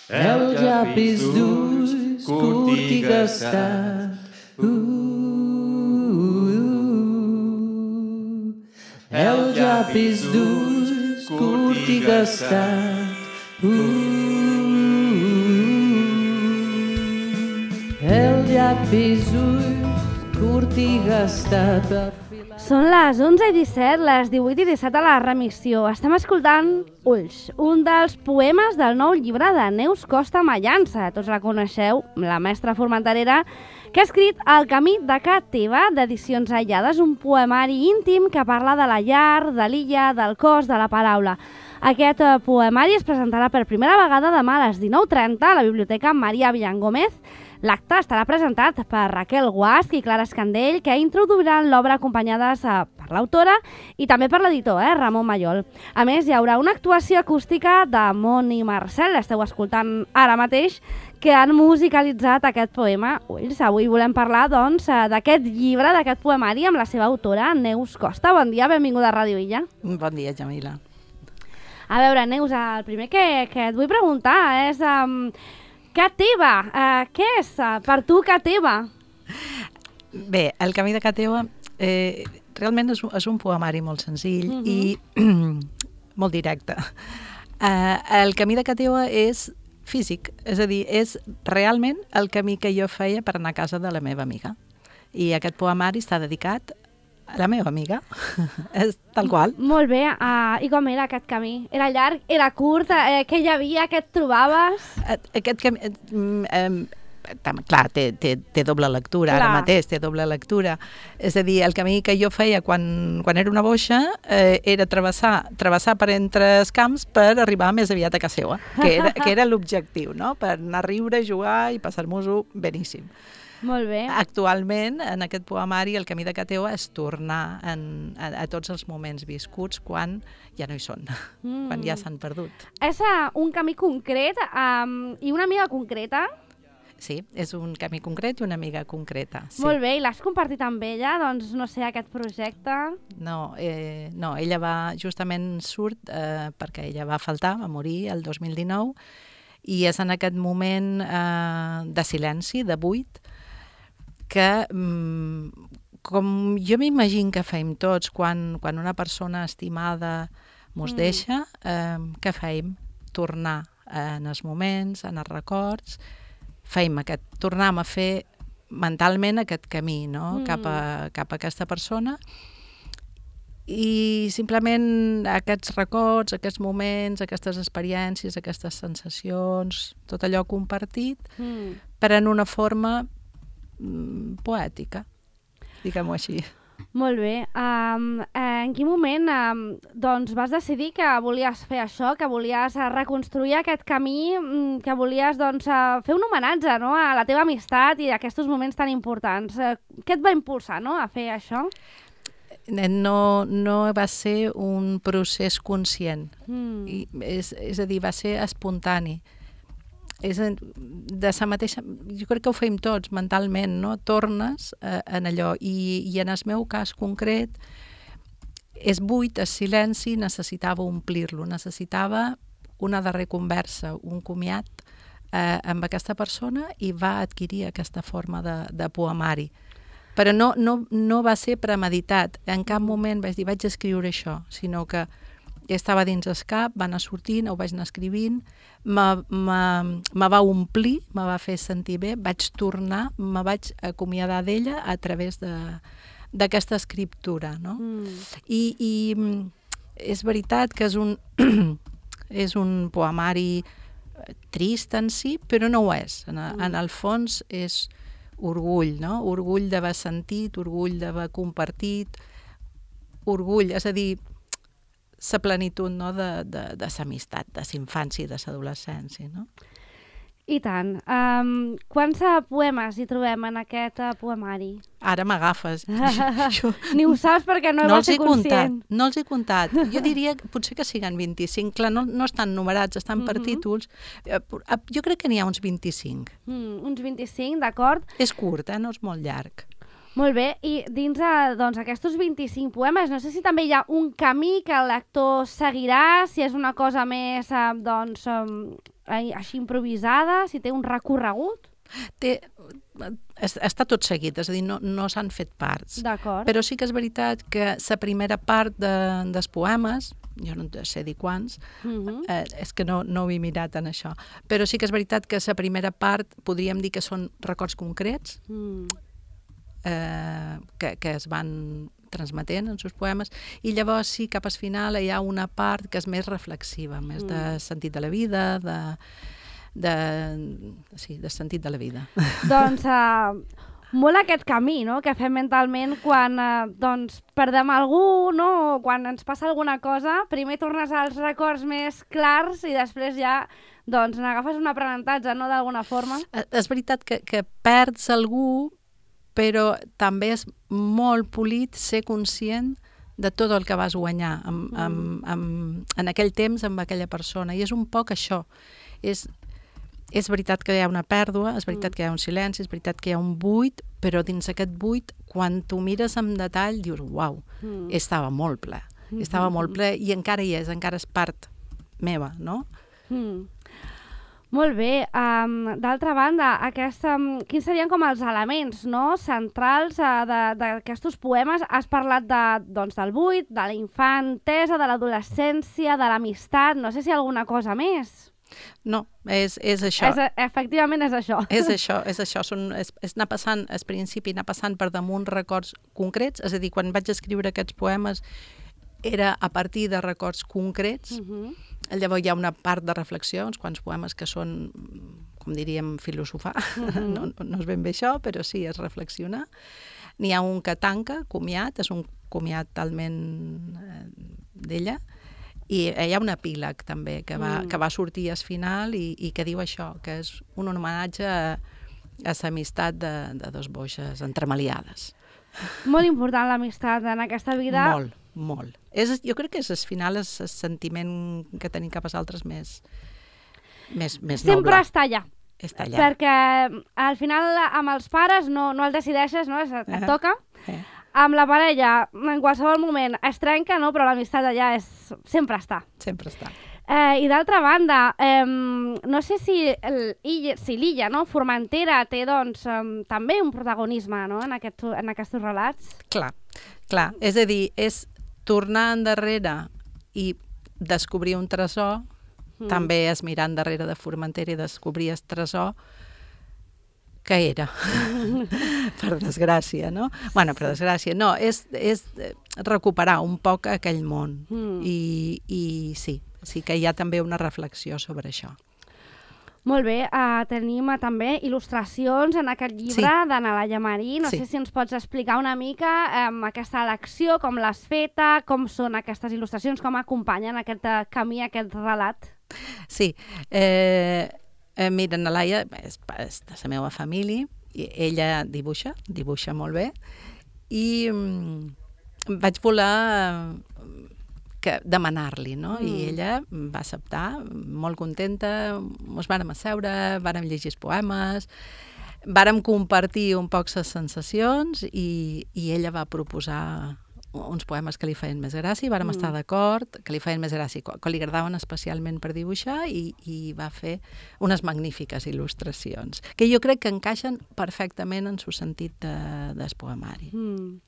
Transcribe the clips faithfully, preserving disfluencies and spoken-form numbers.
el llapis durs, curt i gastat. El llapis durs, curt i gastat. El llapis durs, curt i gastat. Són les onze i disset, les divuit i disset a la remissió. Estem escoltant Ulls, un dels poemes del nou llibre de Neus Costa Mallança. Tots la coneixeu, la mestra formenterera, que ha escrit El camí de ca teva, d'Edicions Aïllades, un poemari íntim que parla de la llar, de l'illa, del cos, de la paraula. Aquest poemari es presentarà per primera vegada demà a les dinou trenta a la Biblioteca Maria Villangómez. L'acte estarà presentat per Raquel Guasch i Clara Escandell, que introduiran l'obra acompanyades per l'autora i també per l'editor, eh, Ramon Mayol. A més, hi haurà una actuació acústica de Mont i Marcel, esteu escoltant ara mateix, que han musicalitzat aquest poema. Ulls, avui volem parlar, doncs, d'aquest llibre, d'aquest poemari amb la seva autora, Neus Costa. Bon dia, benvinguda a Ràdio Illa. Bon dia, Jamila. A veure, Neus, el primer que, que et vull preguntar és... Um, Ca teva, uh, què és uh, per tu ca teva? Bé, el camí de ca teva eh, realment és, és un poemari molt senzill uh-huh. i molt directe. Uh, el camí de ca teva és físic, és a dir, és realment el camí que jo feia per anar a casa de la meva amiga. I aquest poemari està dedicat a la meva amiga, és tal qual. Molt bé, uh, i com era aquest camí? Era llarg, era curt, eh, què hi havia, què et trobaves? Aquest camí, eh, eh, clar, té, té, té doble lectura, clar. Ara mateix té doble lectura. És a dir, el camí que jo feia quan, quan era una boixa eh, era travessar, travessar per entre els camps per arribar més aviat a casa seva, que era, que era l'objectiu, no? Per anar a riure, jugar i passar-nos-ho beníssim. Molt bé. Actualment, en aquest poemari, el camí de ca teva és tornar en, a, a tots els moments viscuts quan ja no hi són, mm. quan ja s'han perdut. És uh, un camí concret um, i una amiga concreta? Sí, és un camí concret i una amiga concreta. Sí. Molt bé, i l'has compartit amb ella, doncs, no sé, aquest projecte? No, eh, no ella va, justament surt eh, perquè ella va faltar, va morir el dos mil dinou, i és en aquest moment eh, de silenci, de buit, que, com jo m'imagino que feim tots quan, quan una persona estimada mos mm. deixa, eh, què feim? Tornar en els moments, en els records, feim aquest, tornem a fer mentalment aquest camí, no? mm. cap, a, cap a aquesta persona, i simplement aquests records, aquests moments, aquestes experiències, aquestes sensacions, tot allò compartit, mm. pren una forma poètica, diguem-ho així. Molt bé. Um, eh, en quin moment um, doncs vas decidir que volies fer això, que volies uh, reconstruir aquest camí, um, que volies doncs, uh, fer un homenatge, no?, a la teva amistat i a aquests moments tan importants? Uh, què et va impulsar, no?, a fer això? No, no va ser un procés conscient. Mm. I és, és a dir, va ser espontani. És de sa mateixa, jo crec que ho fem tots mentalment, no? Tornes eh, en allò, i, i en el meu cas concret és buit, és silenci, necessitava omplir-lo, necessitava una darrera conversa, un comiat eh, amb aquesta persona, i va adquirir aquesta forma de, de poemari. Però no, no, no va ser premeditat, en cap moment vaig dir vaig escriure això, sinó que estava dins el cap, va anar sortint, ho vaig anar escrivint, me va omplir, me va fer sentir bé, vaig tornar, me vaig acomiadar d'ella a través d'aquesta escriptura, no? Mm. I, I és veritat que és un, és un poemari trist en si, però no ho és. En, mm. en el fons és orgull, no? Orgull d'haver sentit, orgull d'haver compartit, orgull, és a dir, la plenitud, no?, de, de, de l'amistat, de l'infància i de l'adolescència, no? I tant. Um, quants uh, poemes hi trobem en aquest uh, poemari? Ara m'agafes. Ni ho saps perquè no, no vas ser conscient. Comptat, no els he comptat. Jo diria que potser que siguen vint-i-cinc. Clar, no, no estan numerats, estan per uh-huh. títols. Jo crec que n'hi ha uns vint-i-cinc. Mm, uns vint-i-cinc, d'acord. És curt, eh? No és molt llarg. Molt bé, i dins de, doncs, aquests vint-i-cinc poemes, no sé si també hi ha un camí que el lector seguirà, si és una cosa més eh, doncs, eh, així improvisada, si té un recorregut. Té, està tot seguit, és a dir, no, no s'han fet parts. D'acord. Però sí que és veritat que la primera part de, dels poemes, jo no sé dir quants, uh-huh. eh, és que no, no ho he mirat en això, però sí que és veritat que la primera part podríem dir que són records concrets mm. eh, que, que es van transmetent en els seus poemes, i llavors sí, cap al final hi ha una part que és més reflexiva, més mm. de sentit de la vida, de... de, sí, de sentit de la vida. Doncs uh, molt aquest camí, no?, que fem mentalment quan uh, doncs, perdem algú, no?, o quan ens passa alguna cosa, primer tornes als records més clars i després ja doncs, n'agafes un aprenentatge, no?, d'alguna forma. És veritat que, que perds algú, però també és molt polit ser conscient de tot el que vas guanyar amb, mm. amb, amb, en aquell temps amb aquella persona, i és un poc això. És, és veritat que hi ha una pèrdua, és veritat mm. que hi ha un silenci, és veritat que hi ha un buit, però dins aquest buit, quan tu mires amb detall, dius, uau, mm. estava molt ple, mm. estava molt ple, i encara hi és, encara és part meva, no? Mm. Molt bé. Um, d'altra banda, aquest, um, quins serien com els elements, no?, centrals uh, d'aquests poemes? Has parlat de, doncs, del buit, de la infantesa, de l'adolescència, de l'amistat, no sé si hi ha alguna cosa més. No, és, és això. És, efectivament és això. És això, és això. Són, és, és anar passant, al principi, anar passant per damunt records concrets, és a dir, quan vaig escriure aquests poemes era a partir de records concrets. Uh-huh. Llavors hi ha una part de reflexió, uns quants poemes que són, com diríem, filosofar. Uh-huh. no, no és ben bé això, però sí, és reflexionar. N'hi ha un que tanca, comiat, és un comiat talment eh, d'ella, i hi ha un epíleg també que va, mm. que va sortir al final i, i que diu això, que és un homenatge a, a l'amistat de, de dos boixes entremaliades. Molt important l'amistat en aquesta vida. Molt, molt. És, jo crec que és al final és el sentiment que tenim cap als altres més, més, més noble. Sempre està allà. Està allà. Perquè al final amb els pares no, no el decideixes, no? Et, et toca. Eh. Amb la parella, en qualsevol moment, es trenca, no? Però l'amistat allà és... sempre està. Sempre està. Eh, I d'altra banda, eh, no sé si l'illa, si l'illa, no? Formentera té, doncs, eh, també un protagonisme, no?, en, aquest, en aquests relats. Clar, clar. És a dir, és tornar endarrere i descobrir un tresor, mm. també és mirar endarrere de Formentera i descobrir el tresor que era, per desgràcia, no? Bueno, per desgràcia, no, és, és recuperar un poc aquell món. Mm. I, i sí, sí que hi ha també una reflexió sobre això. Molt bé, uh, tenim uh, també il·lustracions en aquest llibre sí. d'Analaia Marí. No sí. sé si ens pots explicar una mica um, aquesta elecció, com l'has feta, com són aquestes il·lustracions, com acompanyen aquest uh, camí, aquest relat. Sí, eh... Eh, mira, Analaia és, és de la meva família, i ella dibuixa, dibuixa molt bé, i mm, vaig voler que, demanar-li, no? Mm. I ella va acceptar, molt contenta, ens vàrem asseure, vàrem llegir els poemes, vàrem compartir un poc les sensacions, i, i ella va proposar uns poemes que li feien més gràcia, i vàrem mm. estar d'acord, que li feien més gràcia, que li agradaven especialment per dibuixar, i, i va fer unes magnífiques il·lustracions, que jo crec que encaixen perfectament en el sentit de, del poemari. Mm.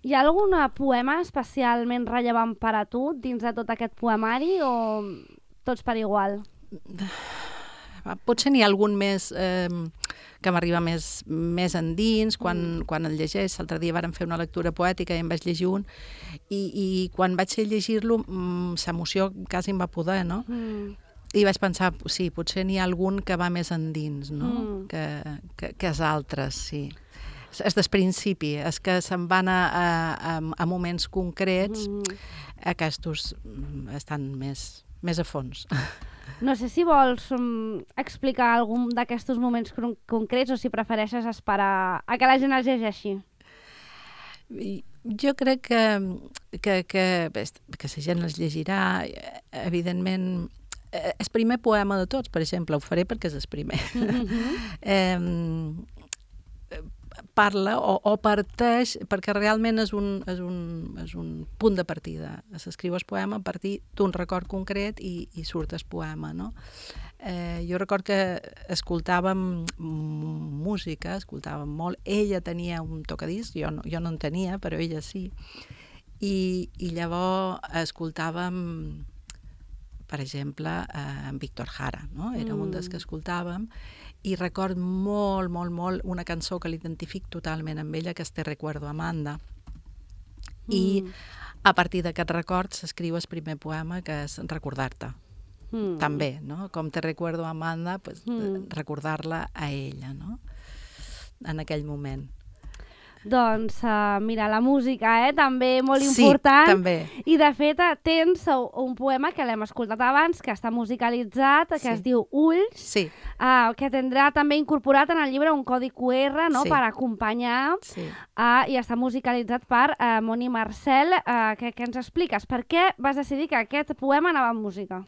Hi ha algun poema especialment rellevant per a tu dins de tot aquest poemari, o tots per igual? Potser n'hi ha algun més eh, que m'arriba més, més endins, quan, mm. quan el llegeix. L'altre dia vàrem fer una lectura poètica i em vaig llegir un, i, i quan vaig llegir-lo, mm, l'emoció quasi em va poder, no? Mm. I vaig pensar, sí, potser n'hi ha algun que va més endins, no? Mm. Que, que, que els altres, sí. És del principi, és que se'n van a, a, a moments concrets, mm. aquests estan més, més a fons. No sé si vols um, explicar algun d'aquests moments concrets o si prefereixes esperar a que la gent els llegeixi. Jo crec que, que, que, que la gent els llegirà, evidentment. El primer poema de tots, per exemple, ho faré perquè és el primer. Mm-hmm. eh, parla o, o parteix, perquè realment és un, és, un, és un punt de partida. S'escriu el poema a partir d'un record concret i, i surt el poema, no? Eh, jo record que escoltàvem música, escoltàvem molt. Ella tenia un tocadisc, jo no, jo no en tenia, però ella sí. I, i llavors escoltàvem, per exemple, eh, en Víctor Jara, no? Era mm. un dels que escoltàvem, i record molt, molt, molt una cançó que l'identific totalment amb ella, que és Te recuerdo, Amanda. Mm. I a partir d'aquest record s'escriu el primer poema, que és Recordar-te. Mm. També, no? Com Te recuerdo, Amanda, pues, mm. recordar-la a ella, no? En aquell moment. Doncs, uh, mira, la música, eh? També molt sí, important. També. I, de fet, tens un poema que l'hem escoltat abans, que està musicalitzat, que sí. es diu Ulls, sí. uh, que tindrà també incorporat en el llibre un codi cu erre, no?, sí. per acompanyar, sí. uh, i està musicalitzat per uh, Moni Marcel. Uh, que, que ens expliques? Per què vas decidir que aquest poema anava amb música?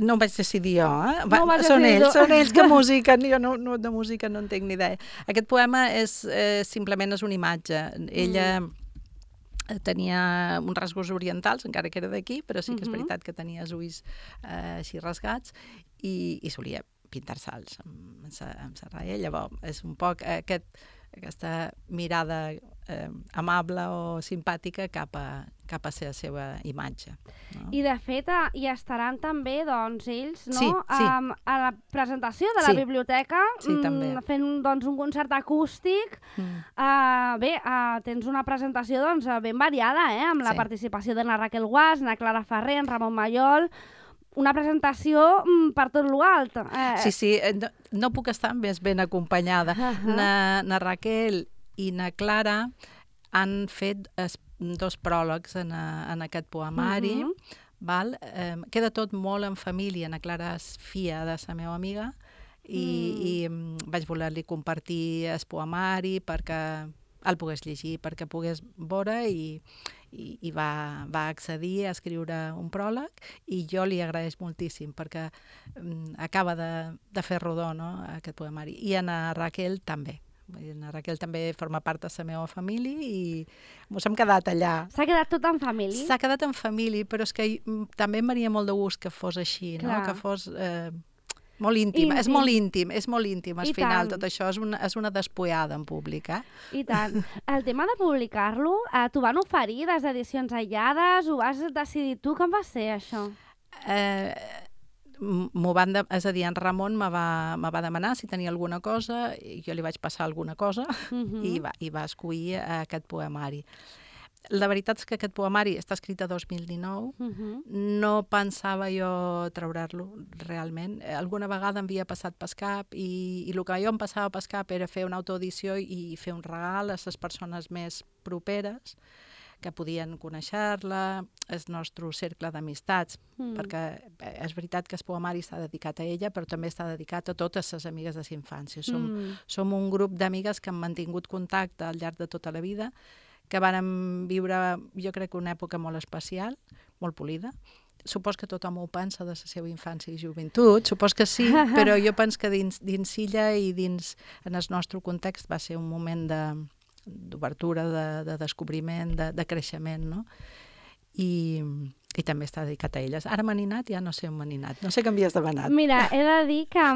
No ho vaig decidir jo, eh? Va, no són ells, tu. són ells que musiquen, jo no, no, de música no en tinc ni idea. Aquest poema és, eh, simplement és una imatge. Ella mm. tenia uns rasgos orientals, encara que era d'aquí, però sí que és mm-hmm. veritat que tenia els ulls eh, així rasgats, i, i solia pintar-se'ls amb, amb sa raia. Llavors, és un poc aquest, aquesta mirada eh, amable o simpàtica cap a, cap a ser la seva imatge. No? I, de fet, hi estaran també, doncs, ells, no? Sí, sí. Um, a la presentació de la sí. biblioteca, sí, també. Mm, fent doncs, un concert acústic. Mm. Uh, bé, uh, tens una presentació doncs, ben variada, eh? Amb la sí. participació de na Raquel Guas, na Clara Ferrer, en Ramon Mallol. Una presentació mm, per tot l'alt. Eh. Sí, sí, no, no puc estar més ben acompanyada. Uh -huh. na, na Raquel i na Clara han fet es, dos pròlegs en, a, en aquest poemari. Uh -huh. val? Eh, queda tot molt en família. Na Clara és filla de la meva amiga i, mm. i um, vaig voler-li compartir el poemari perquè el pogués llegir, perquè pogués veure i i, i va, va accedir a escriure un pròleg, i jo li agraeix moltíssim perquè um, acaba de, de fer rodó, no?, aquest poemari. I en a Raquel també. En a Raquel també forma part de la meva família i ens hem quedat allà. S'ha quedat tot en família? S'ha quedat en família, però és que també em faria molt de gust que fos així, no? Que fos... Eh, molt íntim. íntim, és molt íntim, és molt íntim, al final, tant. Tot això és una, és una despullada en públic, eh? I tant. El tema de publicar-lo, eh, t'ho van oferir des d'edicions aïllades, ho vas decidir tu, com va ser això? Eh, m'ho van de, és a dir, en Ramon me va, me va demanar si tenia alguna cosa, i jo li vaig passar alguna cosa, uh-huh. i, va, i va escollir aquest poemari. La veritat és que aquest poemari està escrit a dos mil dinou, uh-huh. no pensava jo treure-lo realment. Alguna vegada em havia passat pel cap i, i el que jo em passava pel cap era fer una autoedició i fer un regal a les persones més properes que podien conèixer-la, el nostre cercle d'amistats, mm. perquè és veritat que el poemari està dedicat a ella, però també està dedicat a totes les amigues de la infància. Som, mm. som un grup d'amigues que han mantingut contacte al llarg de tota la vida, que vàrem viure, jo crec, una època molt especial, molt polida. Supos que tothom ho pensa de la seva infància i joventut, supos que sí, però jo penso que dins, dins illa i dins, en el nostre context, va ser un moment de, d'obertura, de, de descobriment, de, de creixement, no? I, i també està dedicat a elles. Ara m'ha ninat, ja no sé on m'ha ninat. No sé què m'havies demanat. Mira, he de dir que,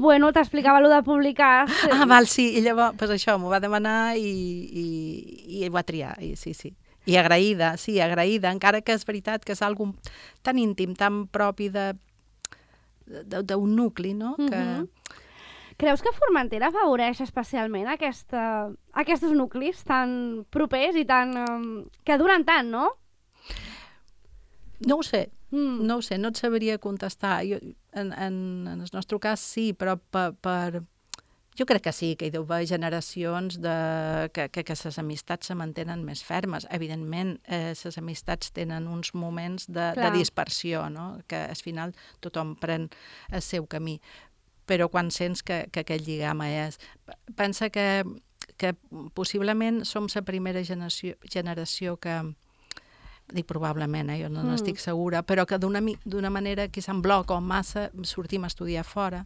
bueno, t'explicava allò de publicar... Ah, val, sí, i llavors, pues això, m'ho va demanar i, i, i ho va triar, i sí, sí. I agraïda, sí, agraïda, encara que és veritat que és algo tan íntim, tan propi de d'un nucli, no? Que... Mm-hmm. Creus que Formentera afavoreix especialment aquesta, aquests nuclis tan propers i tan... Um, que duren tant, no? No ho sé, mm. no ho sé, no et sabria contestar. Jo, en, en, en el nostre cas sí, però per... per jo crec que sí, que hi deu haver generacions de, que, que, que les amistats se mantenen més fermes. Evidentment, eh, les amistats tenen uns moments de, de dispersió, no? Que al final tothom pren el seu camí. Però quan sents que, que aquest lligam és... Pensa que, que possiblement som la primera generació, generació que... Dic probablement, eh? Jo no mm. n'estic segura, però que d'una, d'una manera que en bloc o en massa sortim a estudiar fora.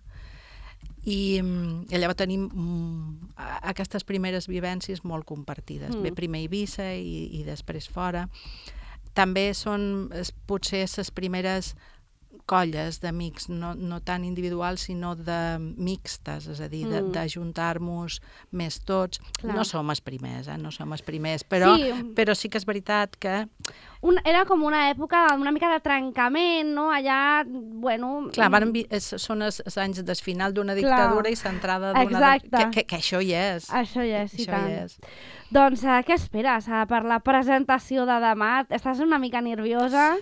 I, i llavors tenim mm, aquestes primeres vivències molt compartides. Mm. Bé, primer a Eivissa i, i després fora. També són es, potser les primeres colles d'amics, no, no tan individuals, sinó de mixtes, és a dir, de, Mm. de juntar-nos més tots. Clar. No som els primers, eh? No som els primers, però Sí. sí, però sí que és veritat que Un, era com una època una mica de trencament, no? Allà, bueno... clar, van, vi- és, són els, els anys del final d'una dictadura i centrada d'una... Exacte. Que, que, que això hi és. Això ja és, i Això tant. hi és. Doncs uh, què esperes uh, per la presentació de demà? Estàs una mica nerviosa?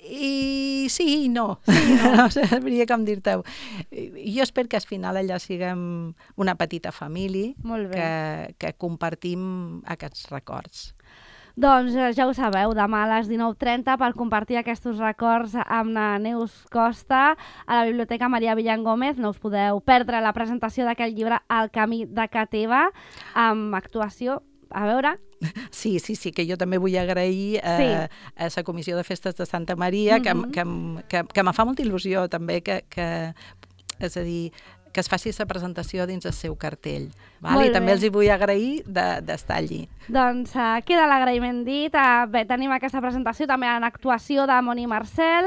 I sí i no. Sí, no. No sabria com dir-te-ho. Jo espero que al final allà siguem una petita família Molt bé. que, que compartim aquests records. Doncs eh, ja ho sabeu, demà a les dinou trenta per compartir aquests records amb la Neus Costa a la Biblioteca Maria Villan Gómez. No us podeu perdre la presentació d'aquest llibre El camí de ca teva, amb actuació. A veure... Sí, sí, sí, que jo també vull agrair eh, Sí. a la Comissió de Festes de Santa Maria, que, Mhm. que, em- que, que me fa molta il·lusió també que, que, és a dir, que es faci la presentació dins el seu cartell. Val? Molt I també bé. els hi vull agrair de- d'estar allí. Doncs uh, queda l'agraïment dit. Uh, bé, tenim aquesta presentació també en actuació de Moni Marcel.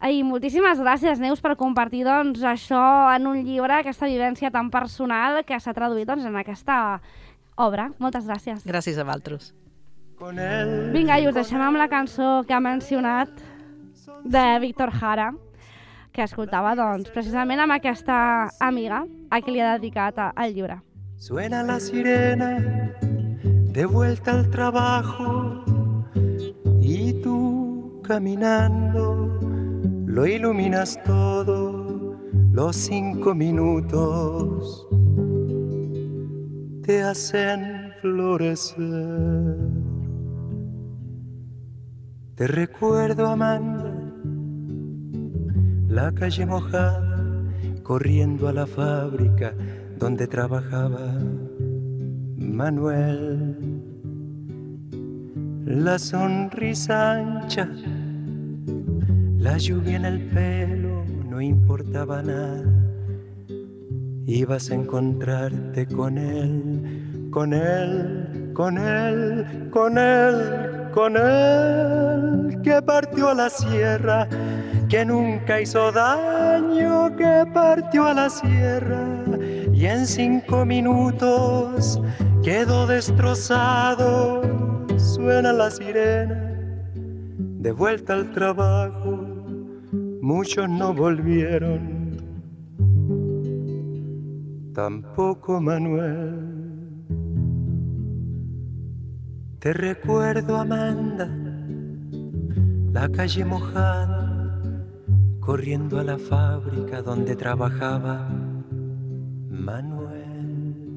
I moltíssimes gràcies, Neus, per compartir doncs, això en un llibre, aquesta vivència tan personal que s'ha traduït doncs, en aquesta obra. Moltes gràcies. Gràcies a vosaltres. Vinga, i us deixem amb la cançó que ha mencionat de Víctor Jara, que escoltava doncs, precisament amb aquesta amiga a qui li ha dedicat a- el llibre. Suena la sirena de vuelta al trabajo y tú caminando lo iluminas todo, los cinco minutos te hacen florecer. Te recuerdo, Amanda, la calle mojada, corriendo a la fábrica donde trabajaba Manuel. La sonrisa ancha, la lluvia en el pelo, no importaba nada. Ibas a encontrarte con él, con él, con él, con él, con él, que partió a la sierra, que nunca hizo daño, que partió a la sierra y en cinco minutos quedó destrozado. Suena la sirena de vuelta al trabajo, muchos no volvieron, tampoco Manuel. Te recuerdo, Amanda, la calle mojada, corriendo a la fábrica donde trabajaba Manuel.